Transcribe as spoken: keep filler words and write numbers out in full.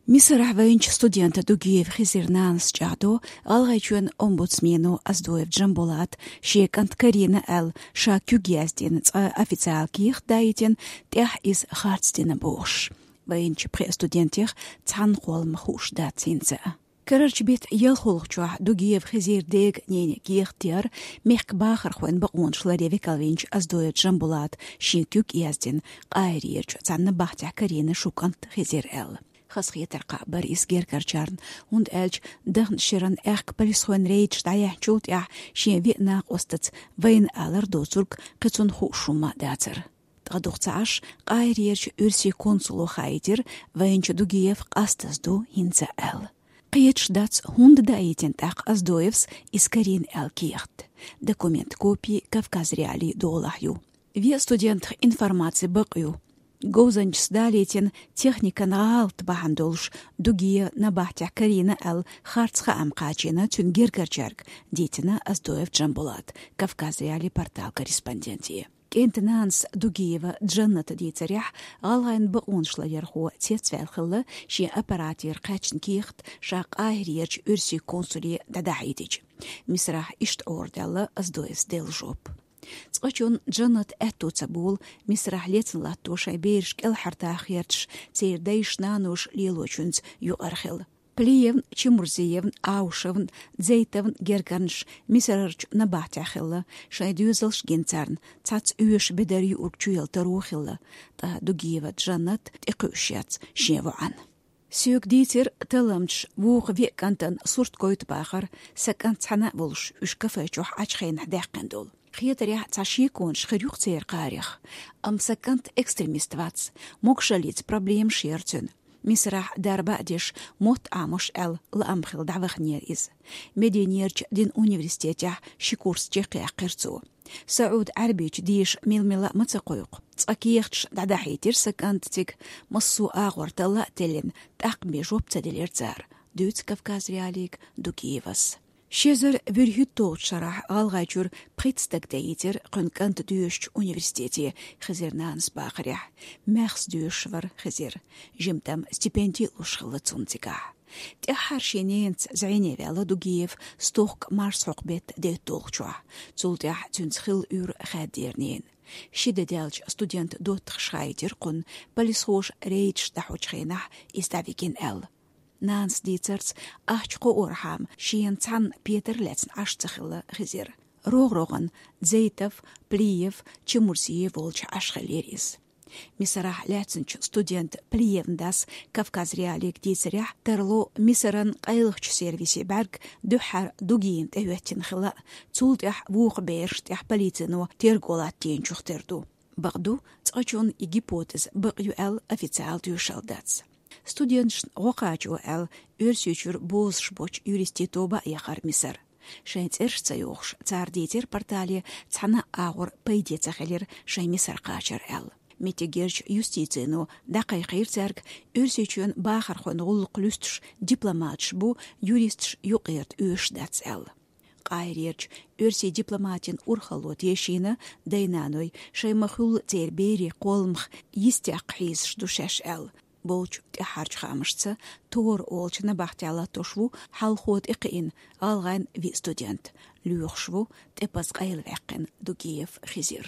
Мисарахь вайначу студента Дугиев Хизира нанас чӀагӀдо ГӀалгӀайчоьнан омбудсмено Оздоев Джамбулата шен кӀант карийна аьлла, ша куьг яздина цкъа официалан кехат даийтина, тӀаьхьа иза харц дина бохуш. Вайначу пхеа студентех цхьанна кхоллама хууш дац хӀинца а. Карарчу беттан ялхолгӀачохь Дугиев Хизира дега-нене кехат деара, мехкан бахархойн бакъонаш ларъян векалвинчу Оздоев Джамбулата шен куьг яздина, Къахьирерчу цхьана набахтехь карийна шун кӀант Хизир аьлла. Хазахетар кхаъ бара иза гергарчарна, хӀунда аьлча дахначу шеран аьхка полисхойн рейдаш дӀаяьхьначул тӀаьхьа шен веа накъостаца вайна алар доцург кхин цунна хууш хӀумма а дацара. Ткъа дукха ца Ӏаш, Къахьирерчу оьрсийн консуло хаийтира, вайначу Дугиев къастаза ду хӀинца аьлла. Кхеташ дац, хӀунда даийтина тӀаккха Оздоевс иза карийна аьлла кехат. Документан копи Кавказ.Реалии долахь ю. Веа студентах информацин бакъ ю. Говзанчас далийтина техникан гӀалат бахьана долуш Дугиев набахтехь карийна аьлла харц хаам кхачийна цуьнан гергарчаьрга, дийцина Оздоев Джамбулата Кавказ.Реалии порталан корреспонденте. КӀентан нанас Дугиева Джанната дийцарехь, гӀалгӀайн бакъонаш ларъярхо цецваьлла хилла шен аппаратера кхаьчна кехат ша Къахьирерчу оьрсийн консуле дӀадахьийтича. Мисарахь иштта Ӏорадаьлла Оздоевс делла жоп. Цкъачунна Джаннатан аьтту ца болу Мисарахь лецна латто шайн бераш кӀелхьардаха гӀерташ, церан дайша-наноша лелочуьнца юкъара хилла. Плиевн, Чемурзиевн, Аушевн, Дзейтовн гергарнаш Мисарарчу набахтехь хилла, шайн доьзалш гина царна, цхьацца оьшуш бедар юург чуяла таро хилла, ткъа Дугиева Джаннат тӀекхуьуш яц шен воӀан. Соьга дийцира талламчаша вукху веа кӀантана сурт гойту бахар, сан кӀант цхьаьна а волуш, уьш кафе чохь Ӏачу хенахь даьккхина долу. Хетарехь, цхьа шеконаш хир ю-кх церан кхарех. Амма сан кӀант экстремист вац, могушаллица проблемаш яра цуьнан. Мисарахь дарба а деш, мотт Ӏамош аьлла, лаам хилла дӀаваханера иза. Мединерчу динан университетехь ши курс чекхъяьккхира цо. СаӀуд-Ӏаьрбийчу деша мила-мила а ма ца кхойкху. Цкъа кехаташ дӀадахьийтира сан кӀантан цига, массо а агӀор талла а теллина, тӀаккха бен жоп ца делира цара, дуьйцу Кавказ.Реалиига Дугиевас. Ши эзар вуьрхӀитталгӀачу шарахь ГӀалгӀайчуьра пхийтта стаг даийтира кхуьнан кӀант доьшучу университете, Хизира нанас бахарехь. Маьхза доьшуш вара Хизир. Жимма-там стипенди а луш хилла цунна цигахь. ТӀаьххьара шен ненаца зӀене ваьлла Дугиев стохка марсхьокху беттан дейтталгӀачохь. Цул тӀаьхьа цуьнца хилла уьйр хаьддера ненан. Ши де даьлча студентан доттагӀаша хаийтира кхунна, полисхоша рейдаш дӀахьочу хенахь иза дӀавигина аьлла. Нанас дийцарца, ахча кхоорхьама шена цхьанна петар лаьцна Ӏаш ца хилла Хизир. РогӀ-рогӀана Дзейтов, Плиев, Чемурзиев волчу Ӏаш хиллера иза. Мисарахь лаьцначу студент Плиевн дас Кавказ.Реалиига дийцарехь, тарло Мисаран къайлахчу сервисе бӀаьрг дуьххьара Дугиевна тӀехӀоьттина хилла, цул тӀаьхьа вукху бераш тӀехь полицино терго латтийначух тера ду. Бакъду, цкъачунна и гипотеза бакъ ю аьлла официал тоьшалла дац. Студенташна гӀо кхачо аьлла, Оьрсийчуьра бозуш боцчу юристийн тоба а яхара Мисар. Шайн цӀераш ца йохуш, цара дийцира портале, цхьана а агӀор пайде ца хилира шайн Мисар кхачар аьлла. Меттигерчу юстицино дӀакхайкхийра цаьрга, Оьрсийчоьнан бахархойн гӀуллакх луьстуш дипломаташ бу, юристаш юкъара оьшуш дац аьлла. Къахьирерчу оьрсийн дипломатийн урхалло тешийна, дай-наной шайн ма-хуьллу церан берийн кхолламах йистехь хьийзаш ду шаьш аьлла. Болчу тӀаьххьарчу хаамашца, Тора олучу набахтехь латтош ву хьалхо тӀекхиъна гӀалгӀайн виъ студент. Лоьхуш ву тӀепаза къайлаваьккхина Дугиев Хизир.